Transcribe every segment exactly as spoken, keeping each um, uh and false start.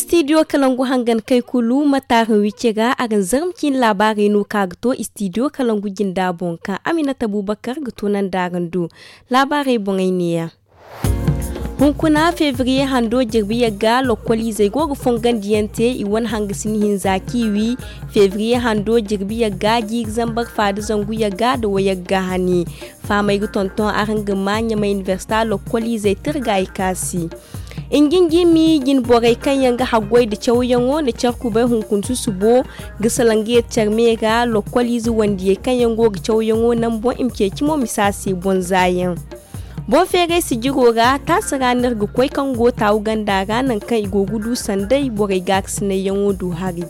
Istidiyo kalangu hangan kay kulu ma taarin wicce ga araŋ zarma ciine laabaarey no ka ga to istidiyo kalangu jinda boŋ kaŋ aminata bubakar ga to nanda araŋ do. Laabaarey boŋey neeya. Hunkuna febriye hando jirbi yagga lokkoliizey go ga fongandiyaŋ te i wane hangasini hinza kaŋ i wi. Febriye hando jirbi yagga jiiri zambar faada zangu yagga nda wayagga hani. Faamey ga tonton araŋ ga ma ɲamay inibersita lokkoliizey tirga i kaasi. Injinjimi jine borey kaŋ yaŋ ga haggoy nda cawyaŋo nda care kubay hunkuna susubo ga salaŋ ga yeti care me ra lokkoliize wandiyey kaŋ yaŋ go ga cawyaŋo naŋ boŋ i ma ceeci mo misa se boŋ zaayaŋ. Boŋ feeray sijiro ra taasi ra no iri ga koy kaŋ go taawu ganda ra naŋ kaŋ i go ga du sanday borey gaakasinayyaŋo du hari.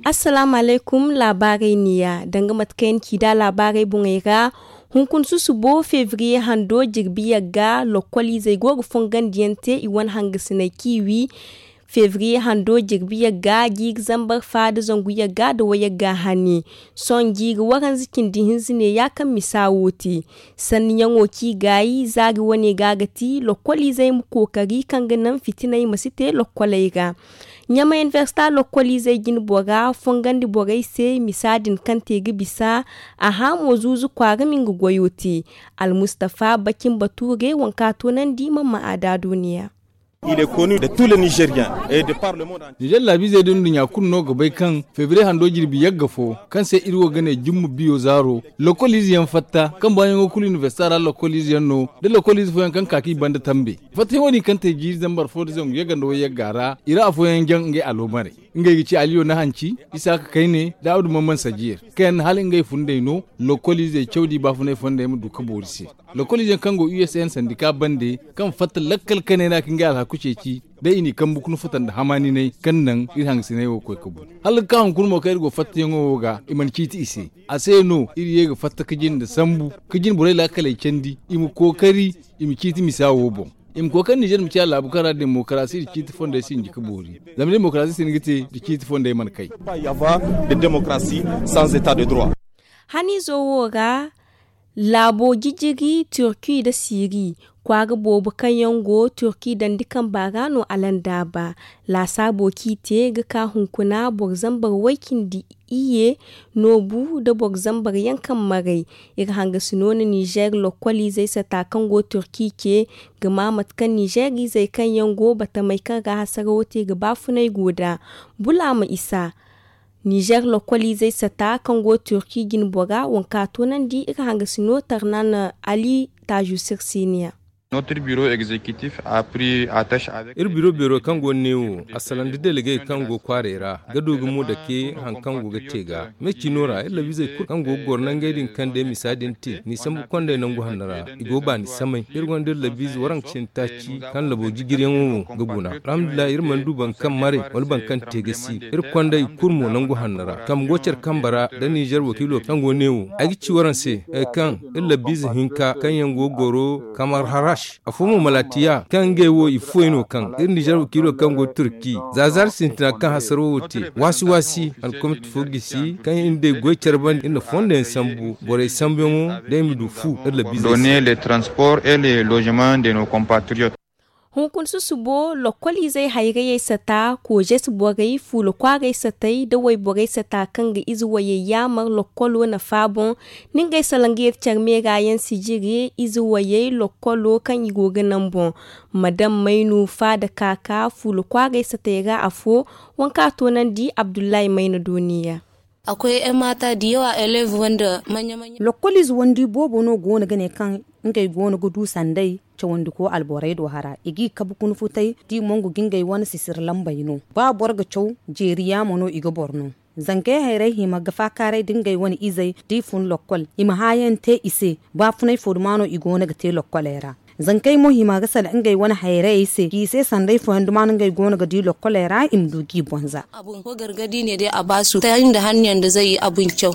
Assalaamu alaykum. Laabaarey neeya danga mate kaŋ yaŋ ci nd'a laabaarey boŋey ra. Hunkuna susubo febriye hando jirbi yagga lokkoliizey go ga fongandiyaŋ te i wane hangasiney kaŋ i wi. Febriye hando jirbi yagga jiiri zambar faada zangu yagga nda wayagga hani. Sohõ jiiri waranza cindi hinza neeya kaŋ misa wo te. Sanniyaŋo kaŋ i gaayi zaari wane ga ga ti lokkoliizey ma kookari kaŋ ga naŋ fitiney ma si te lokkoley ra. Ɲamay inibersita lokkoliizey jine bora fongandi borey se misa din kaŋ te ga bisa. A hã mo zuuzu kwaara ma nga goyo te. Almustafa bakin bature waŋ kaŋ a toonandi mamma aada duuniya. Nizer laabiizey da nduɲɲa kulu no ga bay kaŋ febriye hando jirbi yagga fo kaŋ se iri wo ga ne jumma biyo zaaro lokkoliize yaŋ fatta kaŋ baayaŋo kulu inibersita ra lokkoliize yaŋ no. Da lokkoliize fooyaŋ kaŋ ka kaŋ i banda tambe fattayaŋo din kaŋ te jiiri zambar fo da zangu yagga nda wayagga ra i ra afooyaŋ jaŋ ngey aloomarey. Ngey ga ci aliyo nahanci isaaka kayne da abdu mamman sajiir kaŋ yaŋ na hala ngey fundey no. Lokkoliizey cawdi baafunay fondey ma du ka boori se. Lokkoliize yaŋ kaŋ go usn sandika bande kaŋ fatta lakkal kanay ra ka ngey alhaku ceeci da i n'i kambu ka nufata nda hamaaninay kaŋ naŋ iri hangasinay wo koy ka bu. Hala ga ka hunkuna mo kaŋ iri go fattayaŋo wo ga i mana ciiti i se. A se no iri ye ga fatta ka jinde sambu ka jine borey laakaley candi i ma kookari i ma ciiti misa wo boŋ. I ma kookari nizer ma ciya laabu kaŋ ra demokarasi nda ciiti fondey sinji ka boori. Zama demokarasi sinda ga te nda ciiti fondey mana kay. Haniizo wo ra laabo jijiri turki nda siiri kwaara boobo kaŋ yaŋ go turki dandi kamba ra no alandaaba. Laasaabo kaŋ i te ga ka hunkuna boro zambar way-cindi iyye noobu nda boro zambar yaŋ kaŋ maray. Iri hangasi no na nizer lokkoliizey sata kaŋ go turki ce ga ma mate kaŋ nizer izey kaŋ yaŋ go batamey kaŋ ra hasarawo te ga baafunay go nd'a. Bulaama isa nizer lokkoliizey sata kaŋ go turki jine bora waŋ kaŋ a toonandi iri hangasi no tarnan ali taaju sirsiiniya. Iri biro beero kaŋ go neewo a salaŋ da delegey kaŋ go kwaarey ra ga du ga mo dake hari kaŋ go ga te ga me ciino ra iri labiizey kulu kaŋ go ga goro nangey din kaŋ day misa din te ni sambu kondey nangu hanno ra. I go ga baani samay iri gonda iri labiize waranka cindi taaci kaŋ labo jijiriyaŋo wo ga guna. Alhamdulillahi iri mana du boro kaŋ maray wala boro kaŋ te ga si iri kondey kulu mo nangu hanno ra kambe go care kambe ra nda nizer wakiilo kaŋ go neewo ay ga ci waraŋ se kaŋ iri labiize hinka kaŋ yaŋ go ga goro kamar harash afo mo malatiya kaŋ ngey wo i fuwey no kaŋ iri nizer wakiilo kaŋ go turki za zaari sintina kaŋ hasaro wo te waasi waasi alkomit fo gisi kaŋ iri day goy care banda iri na fondo yaŋ sambu borey sambuyaŋo da i ma du fu iri labiize se. Donner les transports et les logements de nos compatriotes. Hunkuna susubo lokkoliizey hayrayey sata koozes borey fuula kwaaray satey nda wayborey sata kaŋ ga ize wayey yaamar lokkolo nafa boŋ. Ni ngey salaŋ ga yeti care meera yaŋ sijiri ize wayey lokkolo kaŋ i go ga naŋ boŋ ma daŋ maynu faada kaaka fuula kwaaray satey ra afo. Waŋ kaŋ a toonandi abdullahi mayna dooniya. Akwai yan mata da yawa elev wanda manya manya. Lokkoliize wandi boobo no go no ga ne kaŋ ngey go no ga du sanday cawandi ko alborey do hara i g'i kabu kuna futay da i mongu ga ngey wane sisiri lambey no ba boro ga caw jeeri yaamo no i ga boro no. Zankey hayrey hima ga faakaaray da ngey wane izey da i fun lokkol i ma hããyaŋ te i se. Baafunay fo duma no i go no ga te lokkoley ra. Zankey mo hima ga sala ngey wane hayrayey se k'i se sanday fooyaŋ duma no ngey go no ga di lokkoley ra i ma du g'i bonza. Abun ko gargadi ne day a baasu ta nda hanniyaŋ da zay abun caw.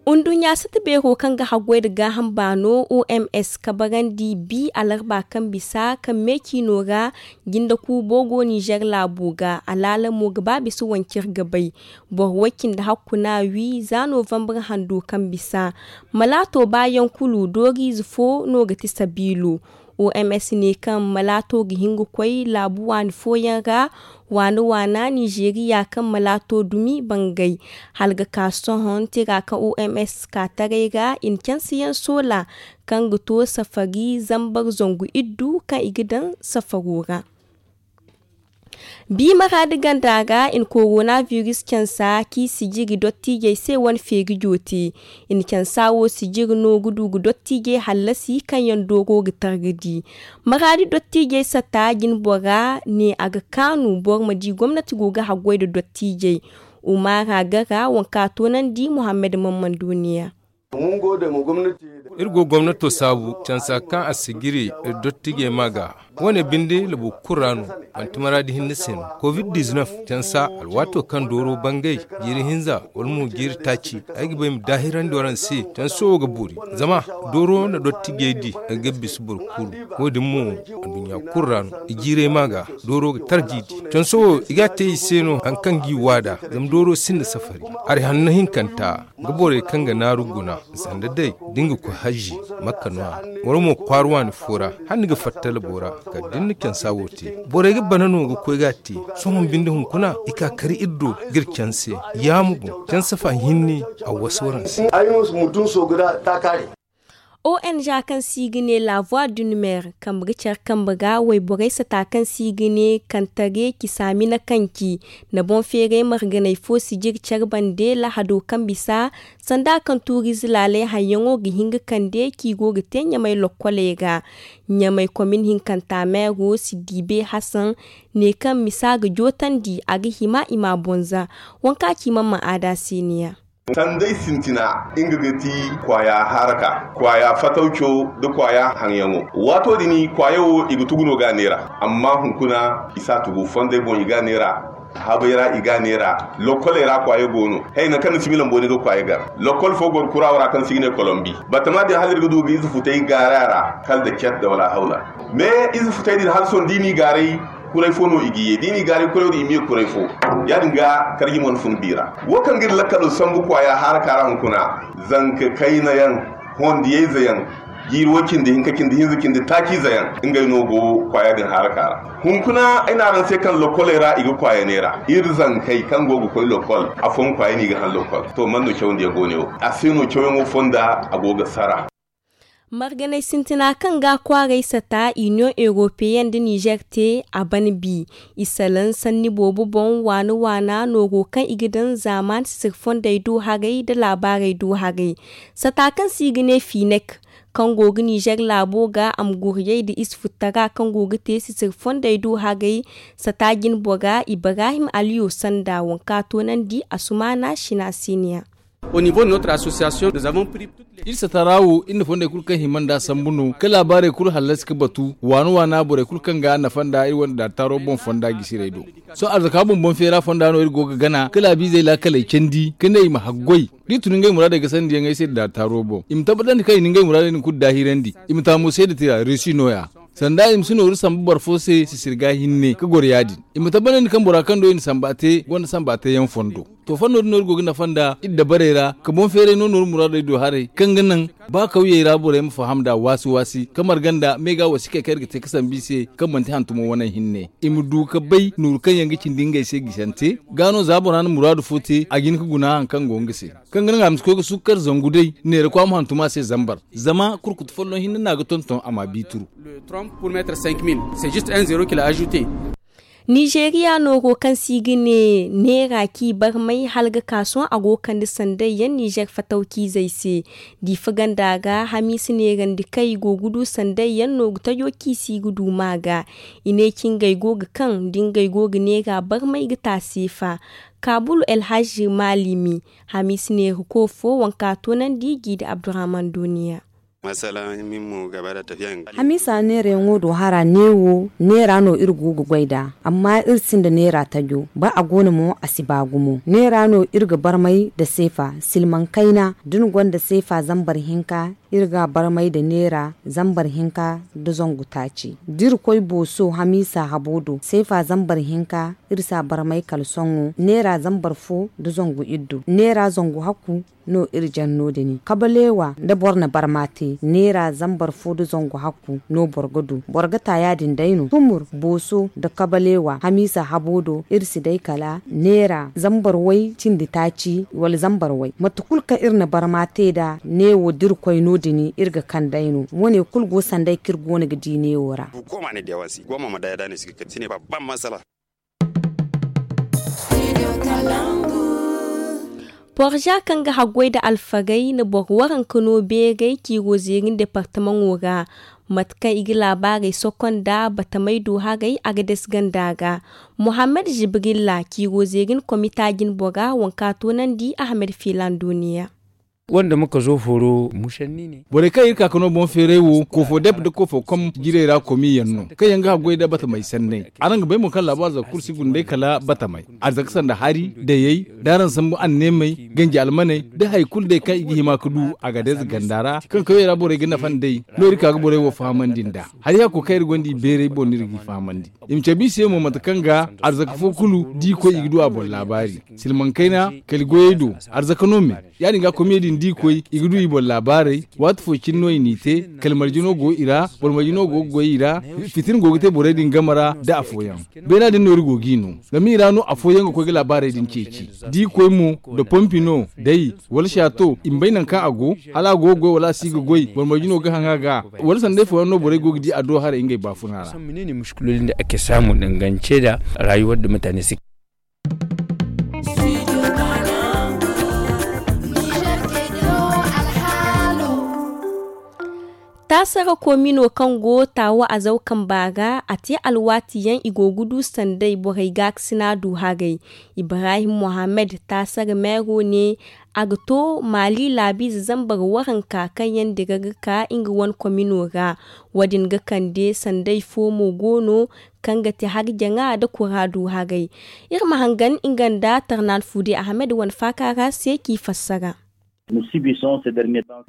Nduɲɲa sata beero kaŋ ga haggoy nda gaaham baano oms kabarandi bi alarba kaŋ bisa kaŋ me ciino ra, jinde kuubo go nizer laabo ga. Alaala mo ga ba bisa wancir ga bay. Boro way cindi hakku no a wi za novambar hando kaŋ bisa. Malaato baayaŋ kulu dooriize fo no ga ti sabiilo. Oms ne kaŋ malaato ga hin ga koy laabu waani fooyaŋ ra, waana waana nizeeriya kaŋ malaato dumi bangay. Hala ga ka sohõ tira kaŋ oms ka taray ra i na cansiyaŋ soola kaŋ ga to safari zambar zangu iddu kaŋ i ga daŋ safaro ra. Bi maraadi ganda ra i na korona biris cansa k'i sijiri dottiijey se wane feeri joote. I na cansa wo sijiri no ga du ga dottiijey hallasi kaŋ yaŋ dooro ga targadi. Maraadi dottiijey sata jinbora ne a ga kaanu boro ma di gomnati go ga haggoy nda dottiijey. Umara gara wanka toonandi muhammad mamman duniya. Iri go gomnato saabu cansa kaŋ a sijiri dottijey ma ga. Wane binde labu kulu ra no. Manti maraadi hinne se no. Covid diznef cansa alwaato kaŋ dooro bangay jiiri hinza wala mo jiiri taaci. Ay ga bay ma daahirandi waraŋ se canso wo ga boori. Zama dooro na dottijey di, ga bisa boro kulu. Wo- din mo anduɲɲa kulu ra no. I jiirey ma ga dooro ga tarji di. Canso wo i ga a te i se no hari kaŋ g'i waada. Zama dooro sinda safari. Hari hanno hinkanta ga borey kaŋ ga naaru guna sanda day da ni ga koy hajji, makka no- ya wala mo kwaara waani fo ra. Hala ni ga fatta labo ra kala da ni na cansa wo te. Borey ga bana no ga koy ga a te. Sohõ binde hunkuna i ka kar iri do ga iri canse. Ya ma boŋ canse fa hinne a wasa waraŋ se. Ay no mutum so guda ta kaare. Ong kaŋ se i ga ne la voie du numer kambe ga care kambe ga wayborey sata kaŋ se i ga ne kantare ci saamina kaŋ ci nda boŋ feeray marganay fo sijiri care bande lahado kaŋ bisa. Sanda kaŋ tuuriize laaley haŋyaŋo ga hin ga kande kaŋ i go ga te ɲamay lokkoley ra. Ɲamay komin hinkanta meero si diibe hasan ne kaŋ misa ga jootandi a ga hima i ma a boŋ za. Waŋ kaŋ a ci mamman aada se ni- ya. Sanday sintina nga ga ti kwaaya haraka, kwaaya fatawco nda kwaaya haŋyaŋo. Waato din kwaaya wo i ga tugu no ga a neera. Amma hunkuna i si a tugu fonday boŋ i ga a neera. Habay ra i ga a neera. Lokkoley ra kwaaya go no. Hay nangu kaŋ ni si milan booni ga kwaaya gar. Lokkol fo goro kurawo ra kaŋ se i ga ne kolombi. Batama din hala iri ga du ga ize futay gaara ra kala nda cat nda wala hawla. Me ize futay din hala sohõ da i n'i gaaray. Kuray fo no i ga ye da i n'i gaaray kuray din i ma ye kuray fo. Ya- din ga karji mana fun bi ra. Wo kaŋ ga iri lakkalo sambu kwaaya haara kaara hunkuna. Zanka kayna yaŋ, hondiyayze yaŋ, jiiri wo cindi hinka cindi hinza cindi taaciize yaŋ ngey no go kwaaya din haara kaara. Hunkuna ay ne araŋ se kaŋ lokkoley ra i ga kwaaya neera. Iri zankey kaŋ go ga koy lokkol afooyaŋ kwaaya no i ga haŋ lokkol. To man no cawandiyaŋ go ne wo? A se no cawyaŋo fonda a go ga sara. Marganay sintina kaŋ ga kwaaray sata union europeenne nda nizer te a ban bi. I salaŋ sanni boobo boŋ waana waana nooro kaŋ i ga daŋ zaamaan sisir fondey do haray nda laabaarey do haray. Sata kaŋ se i ga ne finek kaŋ go ga nizer laabo ga a ma guriyey nda ize futtara kaŋ go ga te sisir fondey do haray. Sata jinbora ibrahim aliyo sanda waŋ kaŋ a toonandi a sumaana sina siniya. Iri sata ra wo iri na fondey kulu kaŋ hima nd'a sambu no ka laabaarey kulu hallasi ka batu waana waana borey kulu kaŋ ga a nafa nd'a iri wane daataaro boŋ fonda jisirey do. Sohõ arzaka boŋ boŋ feera fonda no iri go ga gana ka laabiizey laakaley candi ka ne i ma haggoy da i tun ngey muraadey ga sandiyaŋey se daataaro boŋ i ma tabbatandi kaŋ i na ngey muraadey din kulu daahirandi. I ma taamu seeda tira reesi no- ya. Sanda i ma si nooru sambu boro fo se sisir ga hinne ka goro ya- din. I ma tabbatandi kaŋ bora kaŋ do i na samba te gonda samba teyaŋ fondo. To fondo din no iri go ga nafa nd'a iri dabarey ra ka boŋ feeray no nooru muraadey do haray kaŋ ga naŋ ba kawyey ra borey ma faham nd'a waasi waasi ka marga nd'a me ga wasikey kaŋ iri ga te ka sambu i se kaŋ manti hantumo waney hinne. I ma du ka bay nooru kaŋ yaŋ ga cindi ngey se gisante ga no za bora na muraadu fo te a ga hin ka guna hari kaŋ go nga se. Kaŋ ga naŋ a ma si koy ga sukkar zangu day neera kwaama hantum a se zambar. Zama kurkutu folloŋ hinne no a ga tonton a ma a biituru. Nizeeriya nooro kaŋ se i ga ne neera ci barmay hala ga ka sohõ a go ga kande sanday yaŋ nizeer fatawciizey se. Diifa ganda ga hamiisa neerandi kaŋ i go ga du sanday yaŋ nooru tajo ciisi ga du ma ga. I ne ci ngey go ga kaŋ da ngey go ga neera barmay ga te a se fa. Kaabulu elhazzi maalimi hamiisa neerako fo waŋ kaŋ a toonandi jiidi abdurrahman duuniya. Hamiisa neerayaŋo do hara neewo neera no iri go ga goy nd'a. Amma iri sinda neera tajo ba a go no mo a si ba gumo neera no iri ga barmay nda seefa silmaŋ kayna da ni gonda seefa zambar hinka. Iri ga a barmay nda neera zambar hinka nda zangu taaci da iri koy booso hamiisa habo do seefa zambar hinka. Iri si a barmay kala sohõ neera zambar fo nda zangu iddu neera zangu hakku. No iri jaŋ no- din kabaleewa nda boro na barma te neera zambar fo nda zangu hakku no boro ga du boro ga ta ya- din day no tumur booso nda kabaleewa hamiisa habo do iri si day kala neera zambar way cindi taaci wala zambar way mate kulu kaŋ iri na barma te nd'a neewo da iri koy no- din iri ga kand'ey no wo- ne kulu go sanday kaŋ iri go no ga di neewo ra. Porza kaŋ ga haggoy nda alfagey na boro waranka no beeray ciiro zeerin departamaŋo ra. Mate kaŋ i ga laabaarey sokonda batamey do haray a ga dasi ganda ga. Mohammed zibrilla ciiro zeerin komita jinbora waŋ ka toonandi ahmed fiilan duuniya. Wanda muka zo foro musanni ne. Borey kaŋ iri ka ka no boŋ feeray wo kofo dep nda kofo kom jirey ra komiyaŋ no kaŋ yaŋ ga haggoy nda batamey sanney. Araŋ ga bay mo kaŋ laabu arzaka kulu si guna day kala batamey arzaka sanda hari dayey da araŋ sambu anneemey ganji almaney da hari kulu day kaŋ i ga hima ga du a ga day za ganda ra kaŋ kawey ra borey ga nafa nd'ey. No iri ka ga borey wo fahamandi nd'a hari hakko kaŋ iri gonda i beeray boŋ no iri g'i fahamandi. I ma cabe i se mo mate kaŋ ga arzaka fo kulu da i koy i ga du a boŋ laabaari. Silmaŋ kayna kala goyey do arzaka no me. Ya- din ga komiyey din da i koy i ga du i boŋ laabaarey. Waati fo cine no i n'i te kala marje no go i ra boro marje no go ga goy i ra. Fitina go ga te borey din game ra nda afooyaŋ. Beena din no iri go g'i no zama i ra no afooyaŋ ga koy ga laabaarey din ceeci. Da i koy mo nda pompi no day wala saato i ma bay nangu kaŋ a go hala a go ga goy wala a si ga goy boro marje no ga haŋ a ga. Wala sanda ifooyaŋ no borey go ga di a do haray ngey baafuna ra. Taasara koomino kaŋ go taawa azaw kamba ra a te alwaati yaŋ i go ga du sanday borey gaakasina du haray. Ibrahim mohammed taasara meero ne a ga to maali laabiize zambar waranka kaŋ yaŋ dira ga ka nga wane koomino ra. Wo- din ga kande sanday fo mo go no kaŋ ga te harjaŋa nda kura du haray. Iri ma hangan nga nda tarnaan fuudi ahmed wane faaka ra se k'i fassara.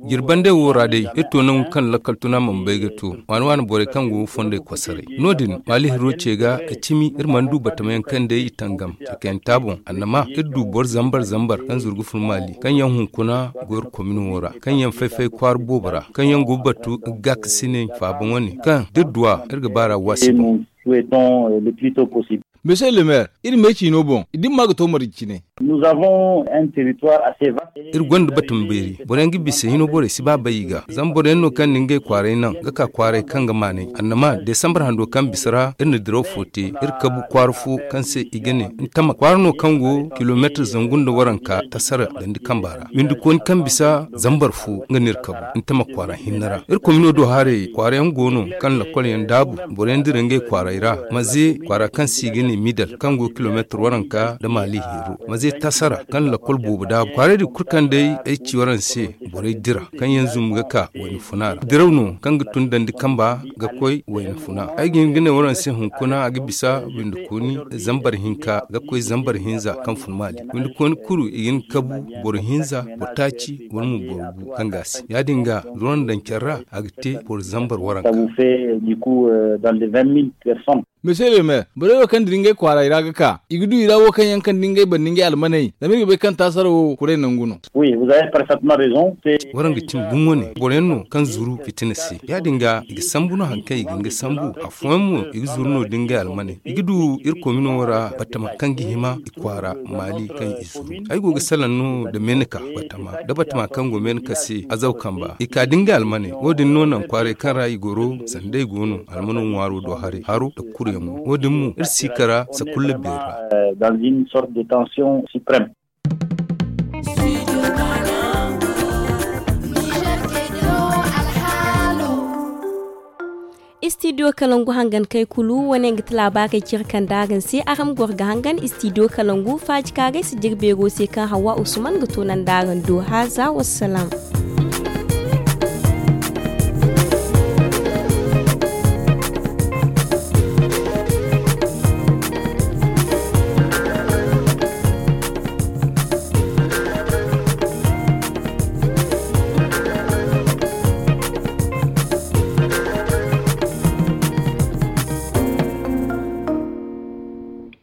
Jirbandey wo ra day iri to nangu kaŋ lakkal tuna mana bay ga to waani waani borey kaŋ go fondey kosoray. No- din maali hiro ce ga a cimi iri mana du batamayaŋ kaŋ day i tangam cakayaŋ taaboŋ annama iri du boro zambar zambar kaŋ zuru ga fun maali kaŋ yaŋ hunkuna go iri komin wo ra kaŋ yaŋ fay-fay kwaara boobo ra kaŋ yaŋ go ga batu gaakasiney faaba wane kaŋ da iri duw'a iri ga baar'a waasi boŋ. Monsieur le maire, iri me ciino boŋ da ni ma ga to marje cine. Iri gonda batama beeri boro yaŋ ga bisa hino borey si ba bay i ga zama boro yaŋ no kaŋ na ngey kwaaray naŋ ga ka kwaaray kaŋ ga maanay annama desambar hando kaŋ bisa ra iri na diraw fo te iri kabu kwaara fo kaŋ se i ga ne ntama kwaara no kaŋ go kilomeetir zangu nda waranka tasara dandi kamba ra windi kooni kaŋ bisa zambar fo nga no iri kabu ntama kwaara hinne ra iri komino do haray kwaara yaŋ go no kaŋ lakkol yaŋ daabu boro yaŋ dira ngey kwaaray ra maze kwaara kaŋ se i ga ne midal kaŋ go kilomeetir waranka nda maali heero maze tasara kaŋ lakkol boobo daabu kwaaray din kulu kaŋ day ay ci waraŋ se borey dira kaŋ yaŋ zumbu ga ka wayna funa ra diraw no kaŋ ga tun dandi kamba ga koy wayna funa ay ga hin ga ne waraŋ se hunkuna a ga bisa windi kooni zambar hinka ga koy zambar hinza kaŋ fun maali windi kooni kuru i ga hin kabu boro hinza boro taaci wala mo boro gu kaŋ ga a se ya- din ga duran daŋ care ra a ga te boro zambar waranka. Monsieur le maire, borey wo kaŋ dira ngey kwaaray ra ga ka i ga du i ra wo kaŋ yaŋ kaŋ dira ngey banda ngey almaney zama iri ga bay kaŋ taasara wo kuray nangu no. Waraŋ ga cimi gumo ne boro yaŋ no kaŋ zuru fitina se ya- din ga i ga sambu no hari kaŋ i ga hin ga sambu afooyaŋ mo i ga zuru no da ngey almaney i ga du iri komino ra batama kaŋ ga hima i kwaara maali kaŋ i zuru. Ay go ga salaŋ no nda menika batama nda batama kaŋ go menika se azaw kamba i ka da ngey almaney wo- din no naŋ kwaaray kaŋ ra i goro sanda i go no almano ŋwaaro do haray haro nda kuryaŋo wo- din mo iri si kara sakulla beeri ra. Istidiyo kalangu hangankey kulu wane nga ti laabaarey cire kaŋ da araŋ se araŋ ma goro ga hangan istidiyo kalangu faaji kaarey si dira beero se kaŋ hawa usman ga toonandi araŋ do haaza wassalam.